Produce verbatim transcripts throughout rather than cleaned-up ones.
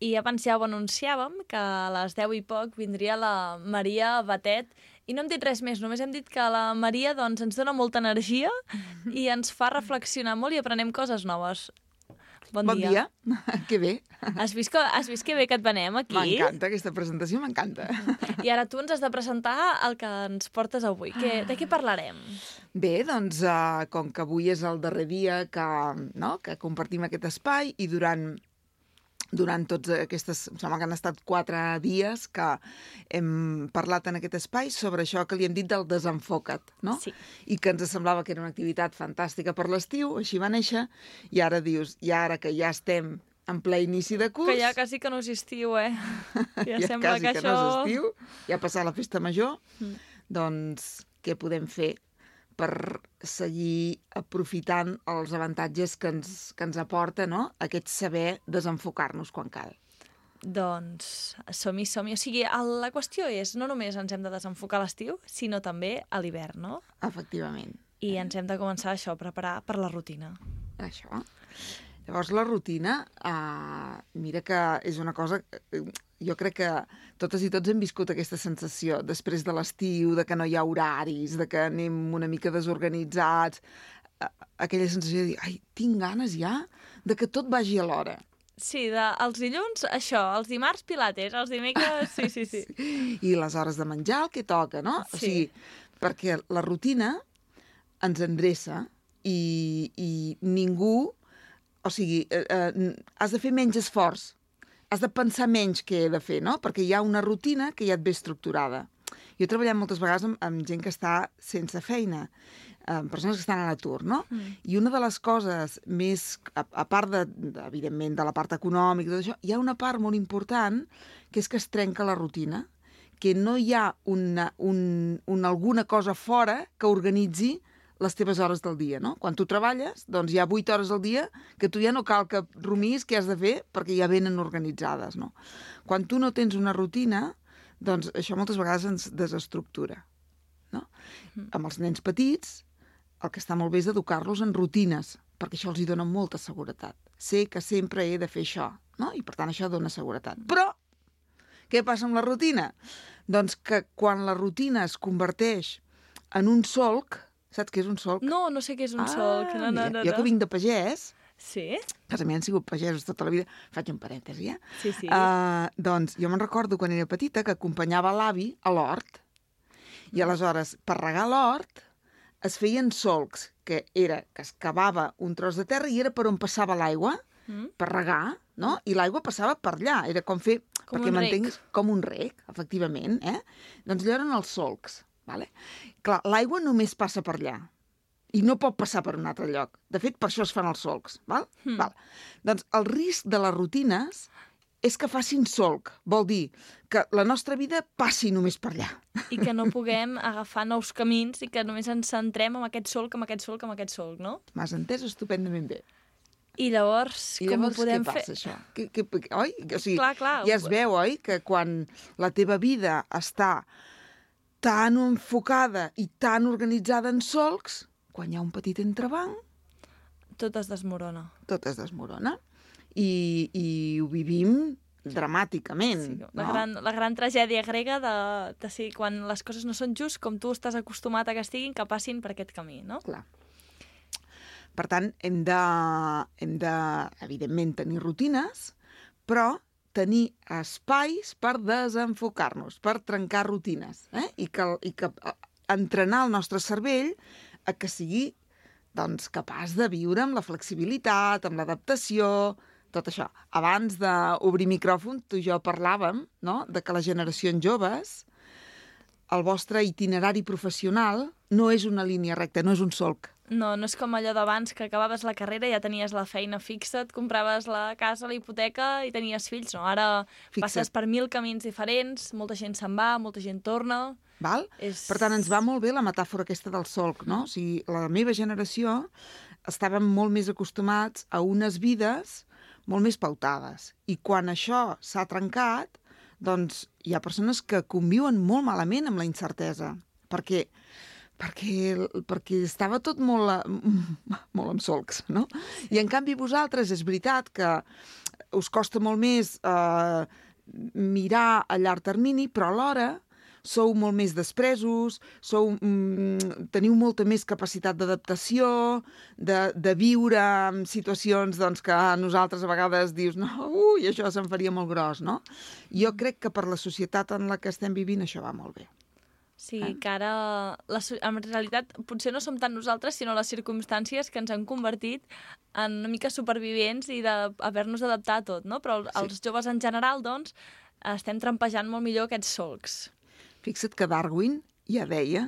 I abans ja ho anunciàvem, que a les deu i poc vindria la Maria Batet, i no hem dit res més, només hem dit que la Maria doncs, ens dona molta energia i ens fa reflexionar molt i aprenem coses noves. Bon, bon dia. dia. Que bé. Has vist, que, has vist que bé que et venem aquí? M'encanta, aquesta presentació m'encanta. I ara tu ens has de presentar el que ens portes avui. Que, de què parlarem? Bé, doncs, uh, com que avui és el darrer dia que, no, que compartim aquest espai i durant... Durant tots aquestes... Em sembla que han estat quatre dies que hem parlat en aquest espai sobre això que li hem dit del desenfoca't, no? Sí. I que ens semblava que era una activitat fantàstica per l'estiu, així va néixer, i ara dius, i ara que ja estem en ple inici de curs... Que ja quasi que no és estiu, eh? Ja, ja sembla quasi que, que això... no és estiu, ja ha passat la festa major, mm. doncs què podem fer per seguir aprofitant els avantatges que ens, que ens aporta, no?, aquest saber desenfocar-nos quan cal. Doncs som-hi, som-hi. O sigui, el, la qüestió és, no només ens hem de desenfocar a l'estiu, sinó també a l'hivern, no? Efectivament. I ens hem de començar això, a preparar per la rutina. Això. Llavors, la rutina, uh, mira que és una cosa... Jo crec que totes i tots hem viscut aquesta sensació després de l'estiu, de que no hi ha horaris, de que anem una mica desorganitzats, aquella sensació de dir, ai, tinc ganes ja de que tot vagi a l'hora. Sí, de, els dilluns, això, els dimarts pilates, els dimecres, sí, sí, sí. I les hores de menjar, el que toca, no? Sí. O sigui, perquè la rutina ens endreça i, i ningú... O sigui, eh, eh, has de fer menys esforç, has de pensar menys què he de fer, no? Perquè hi ha una rutina que ja et ve estructurada. Jo he treballat moltes vegades amb, amb gent que està sense feina, amb persones que estan a l'atur, no? Mm. I una de les coses més, a, a part, de, de, evidentment, de la part econòmica, tot això, hi ha una part molt important que és que es trenca la rutina, que no hi ha una, un, un, alguna cosa fora que organitzi les teves hores del dia, no? Quan tu treballes, doncs hi ha vuit hores al dia que tu ja no cal que rumis què has de fer perquè ja venen organitzades, no? Quan tu no tens una rutina, doncs això moltes vegades ens desestructura, no? Mm. Amb els nens petits, el que està molt bé és educar-los en rutines, perquè això els hi dona molta seguretat. Sé que sempre he de fer això, no? I per tant això dona seguretat. Però, què passa amb la rutina? Doncs que quan la rutina es converteix en un solc, saps què és un solc? No, no sé què és un ah, solc. No, no, no, jo no. que vinc de pagès, sí? a casa meva han sigut pagesos tota la vida, faig un parèntesi, eh? Sí, sí. Uh, doncs jo me'n recordo quan era petita que acompanyava l'avi a l'hort i aleshores per regar l'hort es feien solcs, que era que es cavava un tros de terra i era per on passava l'aigua mm. per regar, no? I l'aigua passava per allà, era com fer... Com perquè un m'entenguis, com un rec, efectivament, eh? Doncs allò eren els solcs. Vale? Clar, l'aigua només passa per allà i no pot passar per un altre lloc. De fet, per això es fan els solcs. Val? Hmm. Val. Doncs el risc de les rutines és que facin solc. Vol dir que la nostra vida passi només per allà. I que no puguem agafar nous camins i que només ens centrem en aquest solc, en aquest solc, en aquest solc, no? M'has entès estupendament bé. I llavors, I com llavors, ho podem què passa, fer? això? Que, que, oi? O sigui, clar, clar. Ja es veu, oi? Que quan la teva vida està tan enfocada i tan organitzada en solcs, quan hi ha un petit entrebanc... Tot es desmorona. Tot es desmorona. I, i ho vivim dramàticament. Sí, la, no? gran, la gran tragèdia grega de, de ser quan les coses no són just com tu estàs acostumat a que estiguin, que passin per aquest camí, no? Clar. Per tant, hem de, hem de, evidentment, tenir rutines, però tenir espais per desenfocar-nos, per trencar rutines, eh? I que, i que entrenar el nostre cervell a que sigui doncs, capaç de viure amb la flexibilitat, amb l'adaptació, tot això. Abans d'obrir micròfon, tu i jo parlàvem, no?, de que les generacions joves, el vostre itinerari professional no és una línia recta, no és un solc. No, no és com allò d'abans que acabaves la carrera i ja tenies la feina fixa, et compraves la casa, la hipoteca i tenies fills. No, ara Fixa't. passes per mil camins diferents, molta gent se'n va, molta gent torna... Val? És... Per tant, ens va molt bé la metàfora aquesta del solc, no? O sigui, la meva generació estàvem molt més acostumats a unes vides molt més pautades. I quan això s'ha trencat, doncs hi ha persones que conviuen molt malament amb la incertesa, perquè... Perquè, perquè estava tot molt, molt amb solcs, no? I en canvi vosaltres és veritat que us costa molt més eh, mirar a llarg termini, però alhora sou molt més despresos, sou, mm, teniu molta més capacitat d'adaptació, de, de viure en situacions doncs, que a nosaltres a vegades dius no, ui, això se'm faria molt gros, no? Jo crec que per la societat en la que estem vivint això va molt bé. Sí, eh? que ara, la, en realitat, potser no som tant nosaltres, sinó les circumstàncies que ens han convertit en una mica supervivents i d'haver-nos d'adaptar a tot, no? Però els sí. joves en general, doncs, estem trampejant molt millor aquests solcs. Fixa't que Darwin ja deia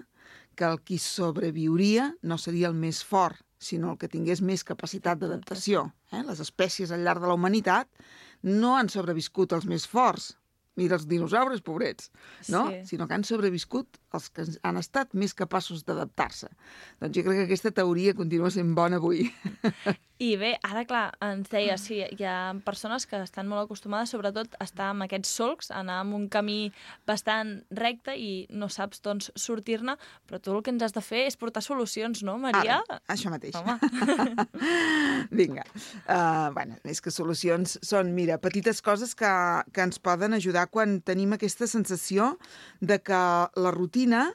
que el qui sobreviuria no seria el més fort, sinó el que tingués més capacitat d'adaptació. Eh? Les espècies al llarg de la humanitat no han sobreviscut els més forts. Mira els dinosaures, pobrets, no? Sí. Sinó que han sobreviscut els que han estat més capaços d'adaptar-se. Doncs jo crec que aquesta teoria continua sent bona avui. I bé, ara, clar, ens deia, sí, hi ha persones que estan molt acostumades, sobretot, a estar amb aquests solcs, anar en un camí bastant recte i no saps, doncs, sortir-ne, però tu el que ens has de fer és portar solucions, no, Maria? Ara, això mateix. Home. Vinga. Uh, bueno, és que solucions són, mira, petites coses que, que ens poden ajudar quan tenim aquesta sensació de que la rutina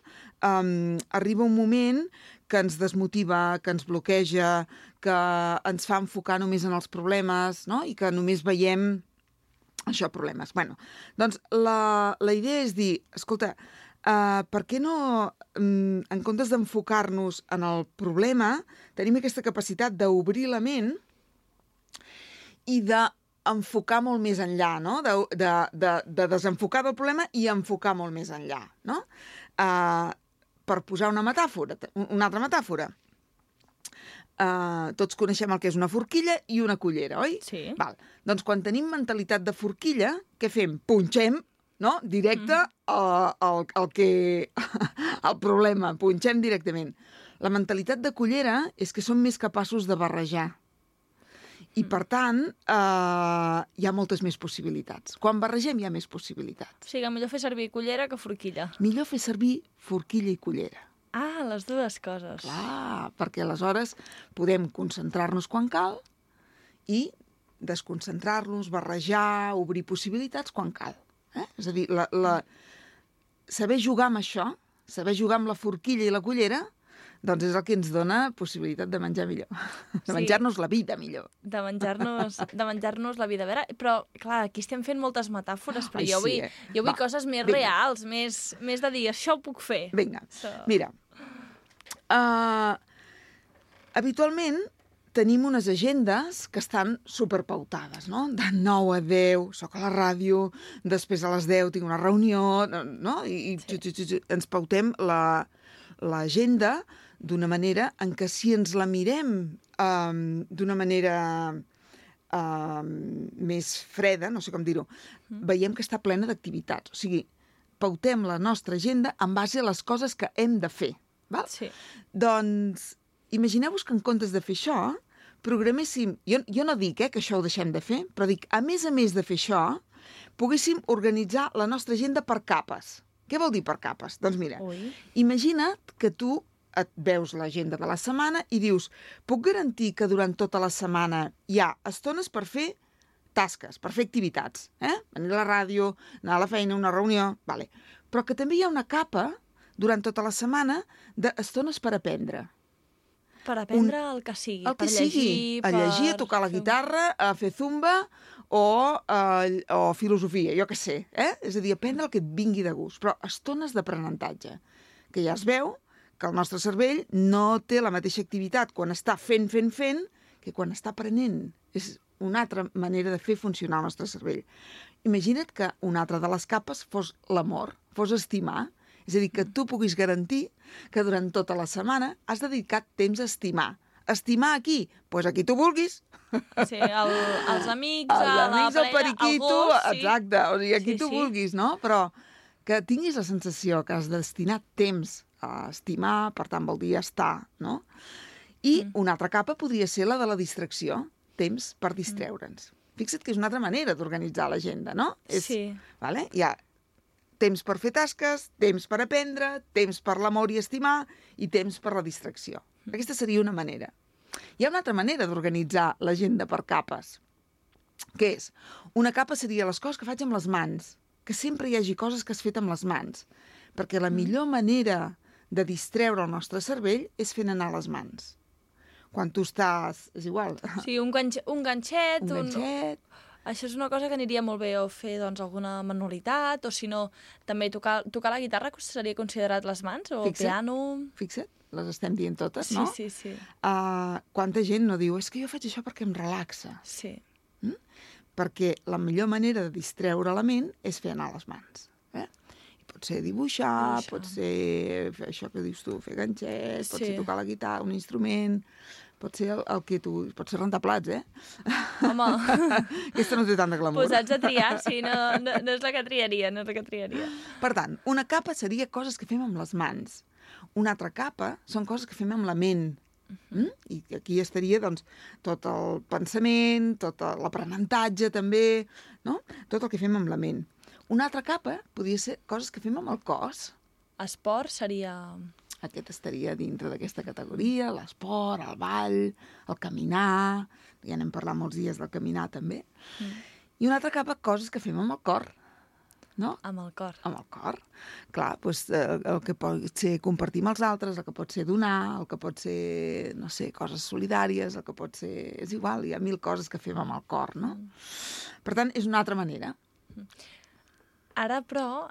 um, arriba un moment que ens desmotiva, que ens bloqueja, que ens fa enfocar només en els problemes, no? I que només veiem això, problemes. Bueno, doncs la, la idea és dir, escolta, uh, per què no, um, en comptes d'enfocar-nos en el problema, tenim aquesta capacitat d'obrir la ment i de enfocar molt més enllà, no? De, de, de, de desenfocar del problema i enfocar molt més enllà, no? Uh, per posar una metàfora, una altra metàfora. Uh, tots coneixem el que és una forquilla i una cullera, oi? Sí. Val. Doncs quan tenim mentalitat de forquilla, què fem? Punxem, no? Directe mm. al, al, al que... al problema, punxem directament. La mentalitat de cullera és que som més capaços de barrejar. I, per tant, eh, hi ha moltes més possibilitats. Quan barregem hi ha més possibilitats. O sigui, millor fer servir cullera que forquilla. Millor fer servir forquilla i cullera. Ah, les dues coses. Clar, perquè aleshores podem concentrar-nos quan cal i desconcentrar-nos, barrejar, obrir possibilitats quan cal. Eh? És a dir, la, la... saber jugar amb això, saber jugar amb la forquilla i la cullera, doncs és el que ens dona possibilitat de menjar millor. De sí. menjar-nos la vida millor. De menjar-nos de menjar-nos la vida. A veure, però, clar, aquí estem fent moltes metàfores, però Ai, jo vull, sí, eh? jo vull Va, coses més vinga. reals, més, més de dir, això ho puc fer. Vinga, so... mira. Uh, habitualment tenim unes agendes que estan superpautades, no? De nou a deu, soc a la ràdio, després a les deu tinc una reunió, no? I, i sí. ens pautem la, l'agenda d'una manera en què si ens la mirem um, d'una manera um, més freda, no sé com dir-ho, mm. veiem que està plena d'activitats. O sigui, pautem la nostra agenda en base a les coses que hem de fer. Val? Sí. Doncs imagineu-vos que en comptes de fer això, programéssim... Jo, jo no dic eh, que això ho deixem de fer, però dic, a més a més de fer això, poguéssim organitzar la nostra agenda per capes. Què vol dir per capes? Doncs mira, Ui. imagina't que tu et veus l'agenda de la setmana i dius, puc garantir que durant tota la setmana hi ha estones per fer tasques, per fer activitats, eh? Venir a la ràdio, anar a la feina, una reunió, vale. Però que també hi ha una capa durant tota la setmana d'estones per aprendre. Per aprendre Un... el que sigui. El que per sigui. Llegir, a llegir, a tocar la guitarra, a fer zumba o, uh, o filosofia, jo què sé. Eh? És a dir, aprendre el que et vingui de gust. Però estones d'aprenentatge, que ja es veu que el nostre cervell no té la mateixa activitat quan està fent, fent, fent, que quan està aprenent. És una altra manera de fer funcionar el nostre cervell. Imagina't que una altra de les capes fos l'amor, fos estimar. És a dir, que tu puguis garantir que durant tota la setmana has dedicat temps a estimar. Estimar a qui? Doncs pues a qui tu vulguis. Sí, el, els amics, els a amics, la el periquito, algú, sí. Exacte, o sigui, a qui sí, tu sí. vulguis, no? Però que tinguis la sensació que has destinat temps a estimar, per tant vol dir estar, no? I mm. una altra capa podria ser la de la distracció, temps per distreure'ns. Mm. Fixa't que és una altra manera d'organitzar l'agenda, no? És, sí. Vale? Hi ha temps per fer tasques, temps per aprendre, temps per l'amor i estimar i temps per la distracció. Aquesta seria una manera. Hi ha una altra manera d'organitzar l'agenda per capes. Què és? Una capa seria les coses que faig amb les mans, que sempre hi hagi coses que has fet amb les mans, perquè la millor manera de distreure el nostre cervell és fent anar les mans. Quan tu estàs... és igual. Sí, un, ganx un ganxet... Un ganxet... Un... Això és una cosa que aniria molt bé o fer doncs, alguna manualitat, o si no, també tocar, tocar la guitarra seria considerat les mans, o fixa't, el piano... Fixa't, les estem dient totes, sí, no? Sí, sí, sí. Uh, quanta gent no diu, és que jo faig això perquè em relaxa. Sí. Mm? Perquè la millor manera de distreure la ment és fer anar les mans. Eh? I pot ser dibuixar, dibuixar, pot ser fer això que dius tu, fer ganxet, sí. Pot ser tocar la guitarra, un instrument... Pot ser el, el que tu... Pot ser rentar plats, eh? Home... Aquesta no té tant de glamour. Posats a triar, sí, no, no, no és la que triaria, no és la que triaria. Per tant, una capa seria coses que fem amb les mans. Una altra capa són coses que fem amb la ment. Mm? I aquí estaria, doncs, tot el pensament, tot l'aprenentatge, també, no? Tot el que fem amb la ment. Una altra capa podria ser coses que fem amb el cos. Esport seria... Aquest estaria dintre d'aquesta categoria, l'esport, el ball, el caminar, ja n'hem parlat molts dies del caminar també, mm. I una altra capa, coses que fem amb el cor, no? Amb el cor. Amb el cor. Clar, doncs, eh, el que pot ser compartir amb els altres, el que pot ser donar, el que pot ser, no sé, coses solidàries, el que pot ser... És igual, hi ha mil coses que fem amb el cor, no? Mm. Per tant, és una altra manera. Mm. Ara, però,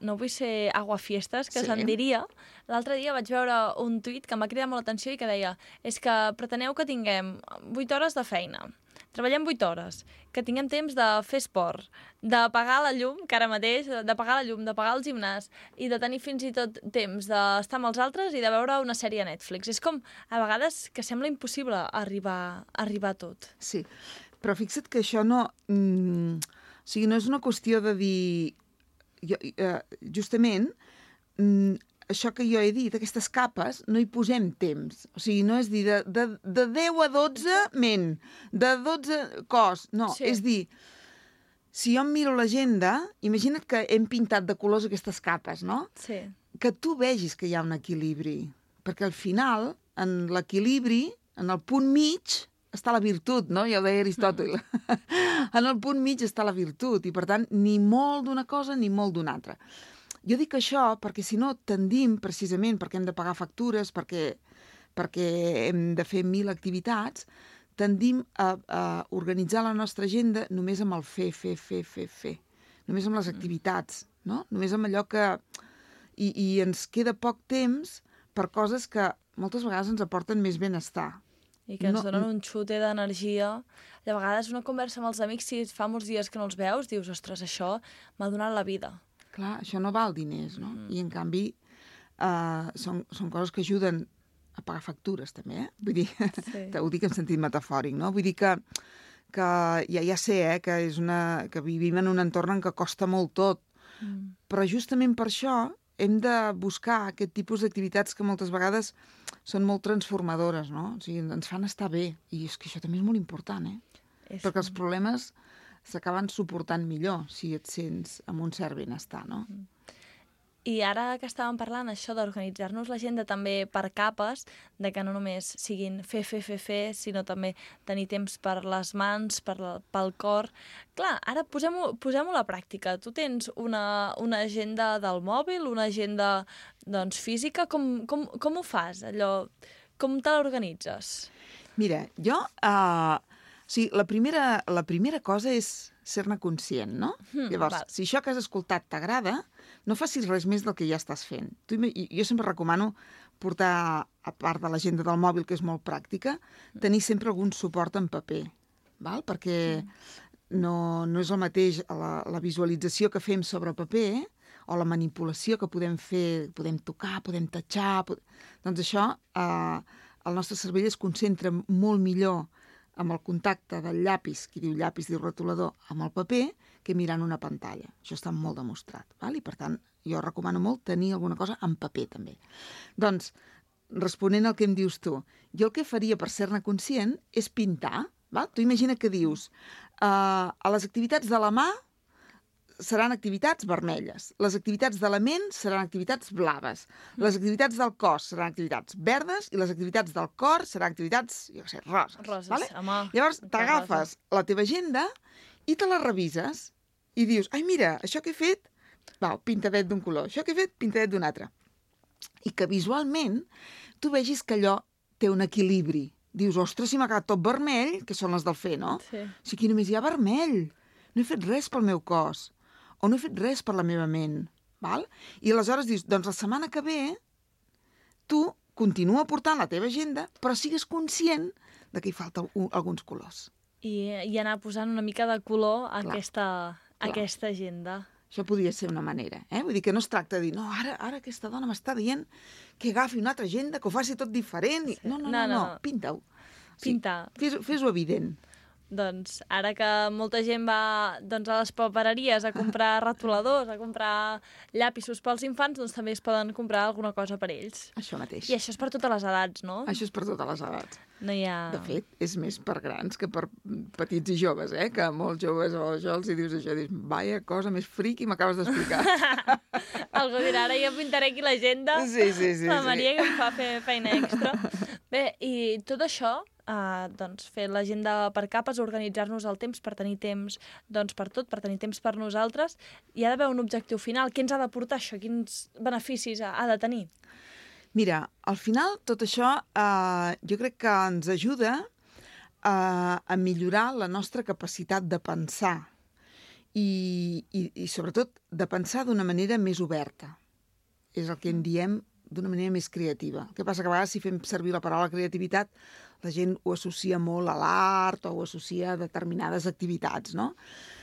no vull ser aguafiestes, que sí. Se'n diria. L'altre dia vaig veure un tuit que m'ha cridat molt l'atenció i que deia és que preteneu que tinguem vuit hores de feina, treballem vuit hores, que tinguem temps de fer esport, de pagar la llum, que ara mateix, de pagar la llum, de pagar el gimnàs, i de tenir fins i tot temps d'estar amb els altres i de veure una sèrie a Netflix. És com, a vegades, que sembla impossible arribar, arribar a tot. Sí, però fixa't que això no... Mm... O sigui, no és una qüestió de dir... Jo, eh, justament, mm, això que jo he dit, aquestes capes, no hi posem temps. O sigui, no és dir de, de, de deu a dotze ment, de dotze cos. No, sí. És dir, si jo em miro l'agenda, imagina't que hem pintat de colors aquestes capes, no? Sí. Que tu vegis que hi ha un equilibri. Perquè al final, en l'equilibri, en el punt mig... està la virtut, no? Ja ho deia Aristòtil. Mm. En el punt mig està la virtut i, per tant, ni molt d'una cosa ni molt d'una altra. Jo dic això perquè, si no, tendim, precisament, perquè hem de pagar factures, perquè, perquè hem de fer mil activitats, tendim a, a organitzar la nostra agenda només amb el fer, fer, fer, fer, fer. Només amb les activitats, no? Només amb allò que... I, i ens queda poc temps per coses que moltes vegades ens aporten més benestar. I que ens no, donen un xute d'energia. De vegades una conversa amb els amics, si fa molts dies que no els veus, dius, ostres, això m'ha donat la vida. Clar, això no val diners, no? Mm. I, en canvi, uh, són, són coses que ajuden a pagar factures, també, eh? Vull dir, sí. Ho dic en sentit metafòric, no? Vull dir que, que ja, ja sé, eh, que, és una, que vivim en un entorn en què costa molt tot, mm. però justament per això hem de buscar aquest tipus d'activitats que moltes vegades són molt transformadores, no? O sigui, ens fan estar bé. I és que això també és molt important, eh? És... Perquè els problemes s'acaben suportant millor si et sents amb un cert benestar, no? I ara que estàvem parlant això d'organitzar-nos l'agenda també per capes, de que no només siguin fer, fer, fer, fer, sinó també tenir temps per les mans, per la, pel cor. Clar, ara posem-ho posem-ho a la pràctica. Tu tens una, una agenda del mòbil, una agenda doncs, física. Com, com, com ho fas, allò? Com te l'organitzes? Mira, jo... Uh, o sigui, la primera, la primera cosa és ser-ne conscient, no? Mm, Llavors, val. Si això que has escoltat t'agrada, no facis res més del que ja estàs fent. Tu, jo sempre recomano portar, a part de l'agenda del mòbil, que és molt pràctica, tenir sempre algun suport en paper, val? Perquè no, no és el mateix la, la visualització que fem sobre paper o la manipulació que podem fer, podem tocar, podem tatxar... Pod... Doncs això, eh, el nostre cervell es concentra molt millor amb el contacte del llapis, qui diu llapis diu rotulador, amb el paper, que mirant una pantalla. Això està molt demostrat. Val? I, per tant, jo recomano molt tenir alguna cosa en paper, també. Doncs, responent al que em dius tu, jo el que faria per ser-ne conscient és pintar. Val? Tu imagina que dius, uh, a les activitats de la mà seran activitats vermelles, les activitats de la ment seran activitats blaves, les activitats del cos seran activitats verdes i les activitats del cor seran activitats, jo què sé, roses. Roses, vale? home. Llavors t'agafes la teva agenda i te la revises i dius, ai, mira, això que he fet, va, pintadet d'un color, això que he fet, pintadet d'un altre. I que visualment tu vegis que allò té un equilibri. Dius, ostres, si m'ha quedat tot vermell, que són les del fer, no? Sí. Si aquí només hi ha vermell. No he fet res pel meu cos. O no he fet res per la meva ment. Val? I aleshores dius, doncs la setmana que ve tu continua portant la teva agenda, però sigues conscient de que hi falta un, alguns colors. I, I anar posant una mica de color a Clar, aquesta, a clar. aquesta agenda. Això podria ser una manera, eh? Vull dir que no es tracta de dir, no, ara, ara aquesta dona m'està dient que agafi una altra agenda, que ho faci tot diferent. Sí. No, no, no, No, no, no. no. pinta-ho. Pintar. Sí, fes-ho fes-ho evident. Doncs ara que molta gent va doncs, a les papereries a comprar retoladors, a comprar llapisos pels infants, doncs també es poden comprar alguna cosa per ells. Això mateix. I això és per totes les edats, no? Això és per totes les edats. No hi ha... De fet, és més per grans que per petits i joves, eh? Que molts joves o això els hi dius això, dius, vaya cosa més friqui m'acabes d'explicar. Algú dirà, ara jo pintaré aquí l'agenda, Sí, sí, sí. la sí. Maria que em fa fer feina extra. Bé, i tot això, eh, doncs fer l'agenda per capes, organitzar-nos el temps per tenir temps doncs, per tot, per tenir temps per nosaltres, hi ha d'haver un objectiu final. Què ens ha de portar això? Quins beneficis ha, ha de tenir? Mira, al final tot això eh, jo crec que ens ajuda eh, a millorar la nostra capacitat de pensar i, i, i sobretot de pensar d'una manera més oberta. És el que en diem d'una manera més creativa. El que passa que a vegades si fem servir la paraula creativitat la gent ho associa molt a l'art o ho associa a determinades activitats, no?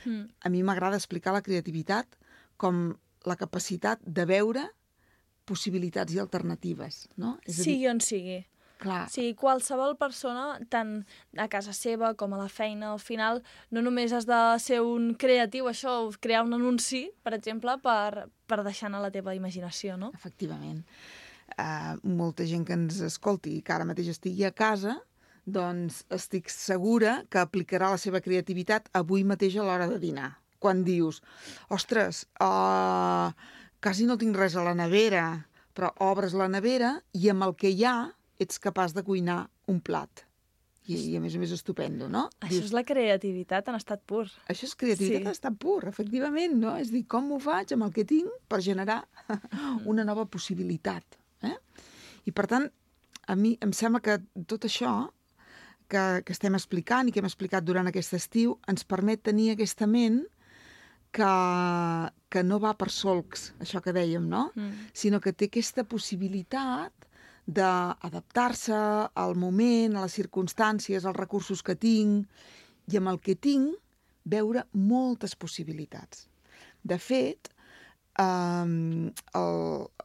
Mm. A mi m'agrada explicar la creativitat com la capacitat de veure possibilitats i alternatives, no? És a dir, Sigui on sigui. clar, Sí, qualsevol persona, tant a casa seva com a la feina, al final, no només has de ser un creatiu, això, crear un anunci, per exemple, per, per deixar anar la teva imaginació, no? efectivament. Uh, molta gent que ens escolti i que ara mateix estigui a casa, doncs estic segura que aplicarà la seva creativitat avui mateix a l'hora de dinar. Quan dius, ostres, uh, quasi no tinc res a la nevera, però obres la nevera i amb el que hi ha ets capaç de cuinar un plat. I, i a més a més estupendo, no? Això és la creativitat en estat pur. Això és creativitat Sí. en estat pur, efectivament, no? És dir, com ho faig amb el que tinc per generar una nova possibilitat. Eh? I per tant, a mi em sembla que tot això que, que estem explicant i que hem explicat durant aquest estiu ens permet tenir aquesta ment que, que no va per solcs, això que dèiem, no? Mm. Sinó que té aquesta possibilitat d'adaptar-se al moment, a les circumstàncies, als recursos que tinc, i amb el que tinc veure moltes possibilitats. De fet, eh, el,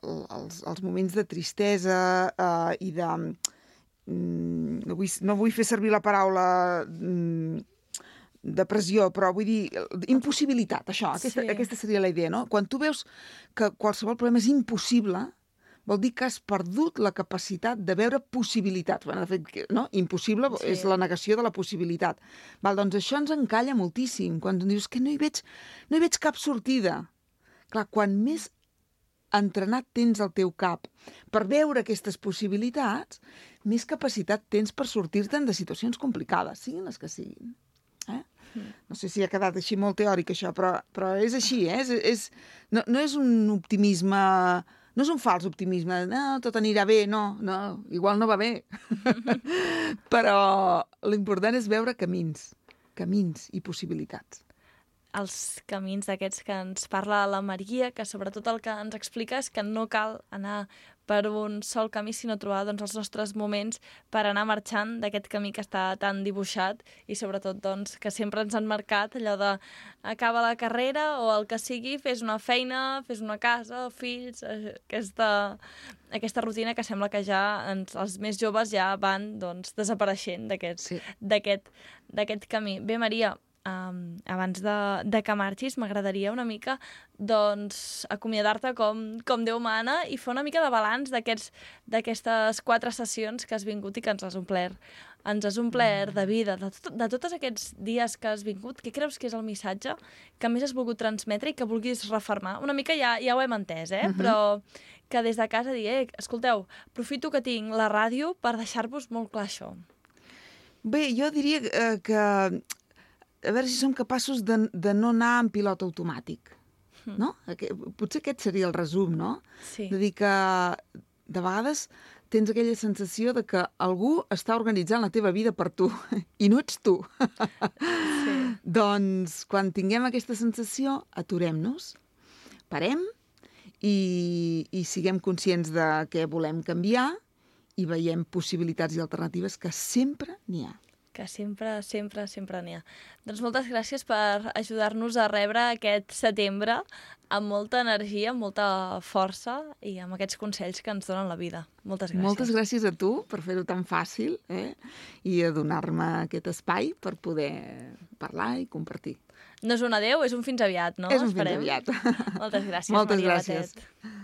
el, els, els moments de tristesa eh, i de... Mm, no, vull, no vull fer servir la paraula mm, depressió, però vull dir impossibilitat, això, aquesta, Sí. aquesta seria la idea, no? Quan tu veus que qualsevol problema és impossible, vol dir que has perdut la capacitat de veure possibilitats. Bueno, de fet, no? Impossible Sí. és la negació de la possibilitat. Val, doncs això ens encalla moltíssim. Quan dius que no hi veig, no hi veig cap sortida. Clar, quan més entrenat tens el teu cap per veure aquestes possibilitats, més capacitat tens per sortir-te'n de situacions complicades, siguin les que siguin. Eh? No sé si ha quedat així molt teòric, això, però, però és així, eh? És, és, no, no és un optimisme... No és un fals optimisme, no, tot anirà bé, no, no, igual no va bé. Però l'important és veure camins, camins i possibilitats. Els camins d'aquests que ens parla la Maria, que sobretot el que ens explica és que no cal anar per un sol camí, sinó trobar doncs, els nostres moments per anar marxant d'aquest camí que està tan dibuixat i sobretot doncs, que sempre ens han marcat allò de acaba la carrera o el que sigui, fes una feina, fes una casa, fills, aquesta, aquesta rutina que sembla que ja ens, els més joves ja van doncs, desapareixent d'aquest Sí. d'aquest d'aquest camí. Bé, Maria, Um, abans de, de que marxis, m'agradaria una mica doncs, acomiadar-te com, com Déu mana i fer una mica de balanç d'aquests d'aquestes quatre sessions que has vingut i que ens has omplert ens has omplert de vida, de, tot, de tots aquests dies que has vingut. Què creus que és el missatge que més has volgut transmetre i que vulguis refermar? Una mica ja, ja ho hem entès, eh? Uh -huh. Però que des de casa digui, eh, escolteu, aprofito que tinc la ràdio per deixar-vos molt clar això. Bé, jo diria eh, que a veure si som capaços de, de no anar en pilot automàtic, no? Potser aquest seria el resum, no? Sí. De dir que de vegades tens aquella sensació de que algú està organitzant la teva vida per tu, i no ets tu. Sí. Doncs, quan tinguem aquesta sensació, aturem-nos, parem i, i siguem conscients de què volem canviar i veiem possibilitats i alternatives que sempre n'hi ha. Que sempre, sempre, sempre n'hi ha. Doncs moltes gràcies per ajudar-nos a rebre aquest setembre amb molta energia, amb molta força i amb aquests consells que ens donen la vida. Moltes gràcies. Moltes gràcies a tu per fer-ho tan fàcil, eh? I a donar-me aquest espai per poder parlar i compartir. No és un adeu, és un fins aviat, no? És un Esperem. fins aviat. Moltes gràcies, Moltes Maria gràcies. Batet.